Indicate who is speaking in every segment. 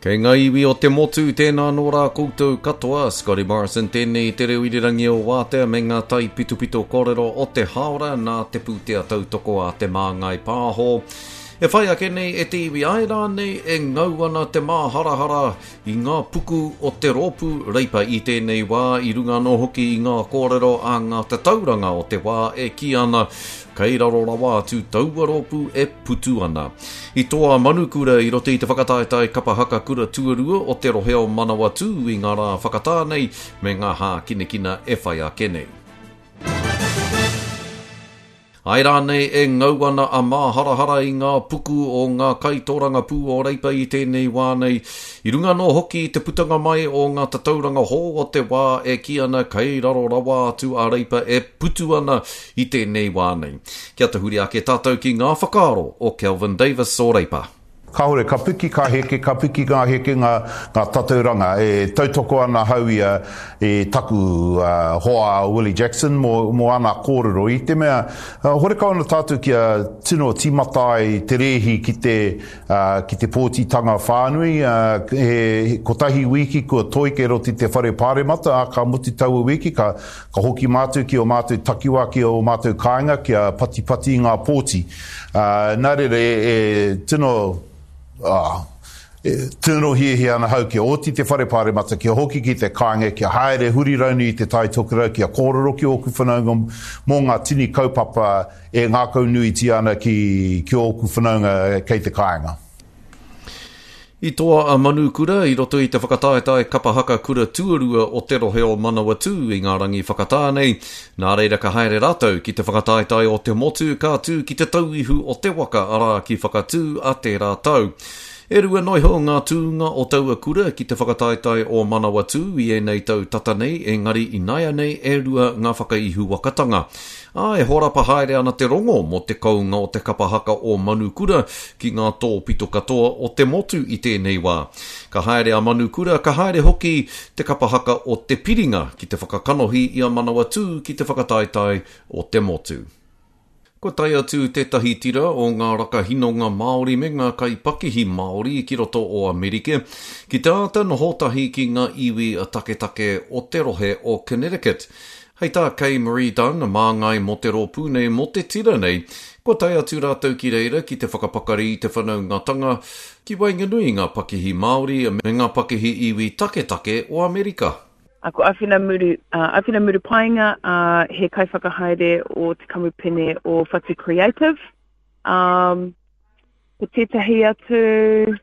Speaker 1: Kei ngā iwi o te motu, tēnā anō rā koutou katoa, Scotty Morrison tēnei i te reo irirangi o Wātea me ngā taipitopito kōrero o te hāora nā te pūtea tautoko a Te Māngai Pāho. E whai ake nei e te iwi āe rānei e ngau ana te māharahara i ngā puku o te rōpū Reipa i tēnei wā i runga anō hoki i ngā kōrero a ngā tatauranga o te wā e kī ana kei raro rawa atu taua rōpū e putu ana. I toa a Manukura i roto i te whakataetae kapa haka kura tuarua o te rohe o Manawatū i ngā rā whakatā nei me ngā hākinakina e whai ake nei. Āe rānei e ngau ana a māharahara i ngā puku o ngā kaitōrangapū o Reipa i tēnei wā nei, i runga anō hoki i te putanga mai o ngā tatauranga hou o te wā e kī ana kei raro rawa atu a Reipa e putu ana i tēnei wā nei. Kia tahuri ake tātou ki ngā whakaaro o Kelvin Davis o Reipa.
Speaker 2: Kāore, ka piki, ka heke, ka piki ngā heke, ngā, ngā tatauranga. E tautoko ana ahau i a, i taku hoa a Willie Jackson mō, mō ana kōrero. I te mea, horekau ana tātou kia tino tīmata ai te rēhi ki te, ki te pōtitanga whānui. He kotahi wīki kua toi kei roto i te whare pāremata, ā, ka mutu taua wīki, ka, Ka hoki mātou ki ō mātou takiwā, ki ō mātou kāinga kia patipati i ngā pōti. Nā reira, e tino, e tino hiahia ana ahau kia oti te whare pāremata, kia hoki ki te kāinga, kia haere huri rauni i te Tai Tokerau, kia kōrero ki ōku whanaunga mō ngā tini kaupapa e ngākaunuitia ana ki ōku whanaunga kei te kāinga.
Speaker 1: I toa a Manukura i roto i te whakataetae kapa haka kura tuarua o te rohe o Manawatū i ngā rangi whakatā nei, nā reira ka haere rātou ki te whakataetae o te motu ka tū ki Te Tauihu o te Waka arā ki Whakatū a tērā tau. E rua noa iho ngā tūnga o taua kura ki te whakataetae o Manawatū i ēnei tau tata nei engari inaianei e rua ngā whakaihuwakatanga. Ā, e horapa haere ana te rongo mō te kounga o te kapa haka o Manukura ki ngā tōpito katoa o te motu i tēnei wā. Ka haere a Manukura, ka haere hoki te kapa haka o Te Piringa ki te whakakanohi i a Manawatū ki te whakataetae o te motu. Kua tae atu tētahi tira o ngā rakahinonga Māori me ngā kaipakihi Māori ki roto o Amerike ki te āta noho tahi ki ngā iwi taketake o te rohe o Connecticut. Hei tā Kay Marie Dunn, māngai mō te rōpū nei, mō te tira nei, kua tae atu rātou ki reira ki te whakapakari i te whanaungatanga ki waenganui i ngā pakihi Māori me ngā pakihi iwi taketake o Amerika.
Speaker 3: Ko Awhina Muru, Awhina Murupaenga, he kaiwhakahaere o te kamupene o Whatu Creative. Ko tētahi atu,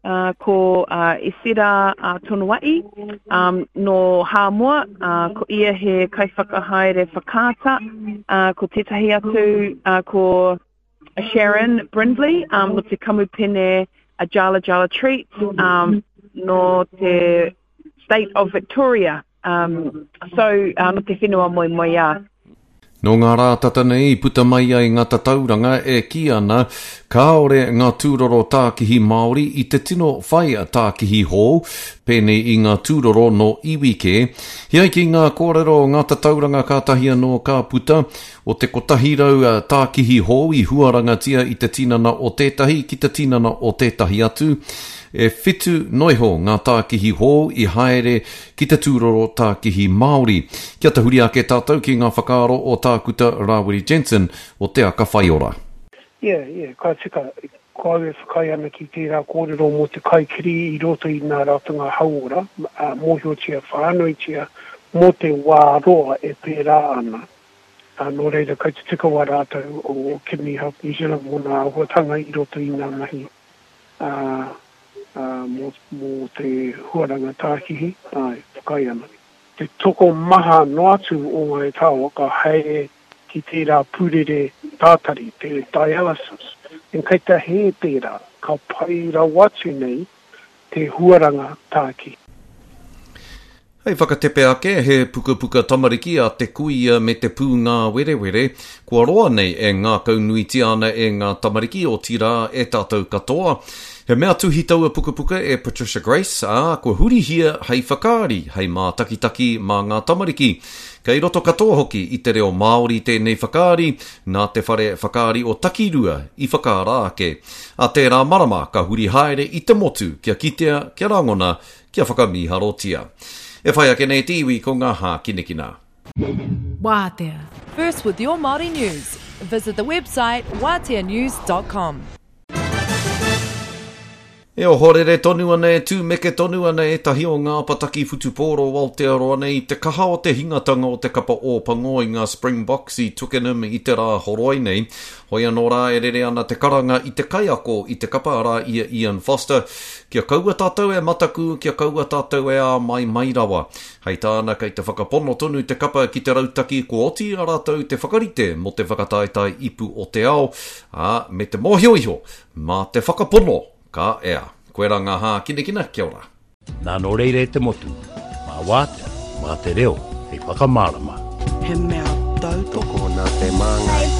Speaker 3: Uh, ko uh, Esera uh, Tonoa'i um, nō Hāmoa, uh, ko ia he kaiwhakahaere whakaata, uh, ko tētahi atu uh, ko Sharon Brindley um, nō te kamupene a Jala Jala Treats um, nō te State of Victoria. Um, so, uh, nō te whenua moemoeā.
Speaker 1: Nō ngā rā tata nei i puta mai ai ngā tatauranga e kī ana kāore ngā tūroro tākihi Māori i te tino whai tākihi hou, pēnei i ngā tūroro nō iwi kē. He ai ki ngā kōrero o ngā tatauranga kātahi anō ka puta, o te 100 tākihi hou i huarangatia i te tinana o tētahi ki te tinana o tētahi atu, e whitu noiho ngā tākihi hou i haere ki te tūroro tākihi Māori. Kia tahuri ake tātou ki ngā whakaaro o Tākuta Rāwiri Jensen o Te Aka Whaiora.
Speaker 4: Yeah, yeah, ka tika. Ko au e whakaae ana ki tērā kōrero mō te kaikiri i roto i ngā ratonga hauora, ā, mōhiotia whānuitia mō te wā roa e pērā ana. Ā, nō reira, kei te tika wā rātou o Kidney Health New Zealand mō ngā āhuatanga i roto i ngā mahi, ā, ā, mō, mō te huaranga tākihi, āe, whakaae ana. Te tokomaha noa atu o ngāi tāoa ka haere ki tērā pūrere tātari, te dialysis, and kei te hē tērā, ka pai rawa atu nei te huaranga tākihi.
Speaker 1: Hei whakatepe ake, he pukapuka tamariki a Te Kuia me te Pūngāwerewere, kua roa nei e ngākaunuitia ana e ngā tamariki, otirā e tātou katoa. He mea tuhi taua pukapuka e Patricia Grace, ā, kua hurihia hei whakaari, hei mātakitaki mā ngā tamariki. Kei roto katoa hoki i te reo Māori tēnei whakaari, nā te whare whakaari o Takirua i whakaara ake. A tērā marama ka huri haere i te motu kia kitea, kia rangona, kia whakamīharotia. E whai ake nei te iwi ko ngā hākinakina.
Speaker 5: Wātea. First with your Māori news. Visit the website wāteanews.com.
Speaker 1: E ohorere tonu ana, e tūmeke tonu ana ētahi o ngā apataki whutupōro o Aotearoa nei i te kaha o te hingatanga o te kapa Ōpango i ngā Springboks i Twickenham i te rā horoi nei. Hoi anō rā e rere ana te karanga i te kaiako i te kapa arā i a Ian Foster, kia kaua tātou e mataku, kia kaua tātou e āmaimai rawa. Hei tāna kei te whakapono tonu te kapa ki te rautaki kua oti i a rātou te whakarite mō te whakataetae ipu o te ao, ā, me te mōhio iho Mā te whakapono ka ea. Koirā ngā hākinakina, kia ora.
Speaker 6: Nā nō reira e te motu, mā Wātea, mā te reo hei whakamārama.
Speaker 7: He mea tautoko
Speaker 8: nā te Māngai.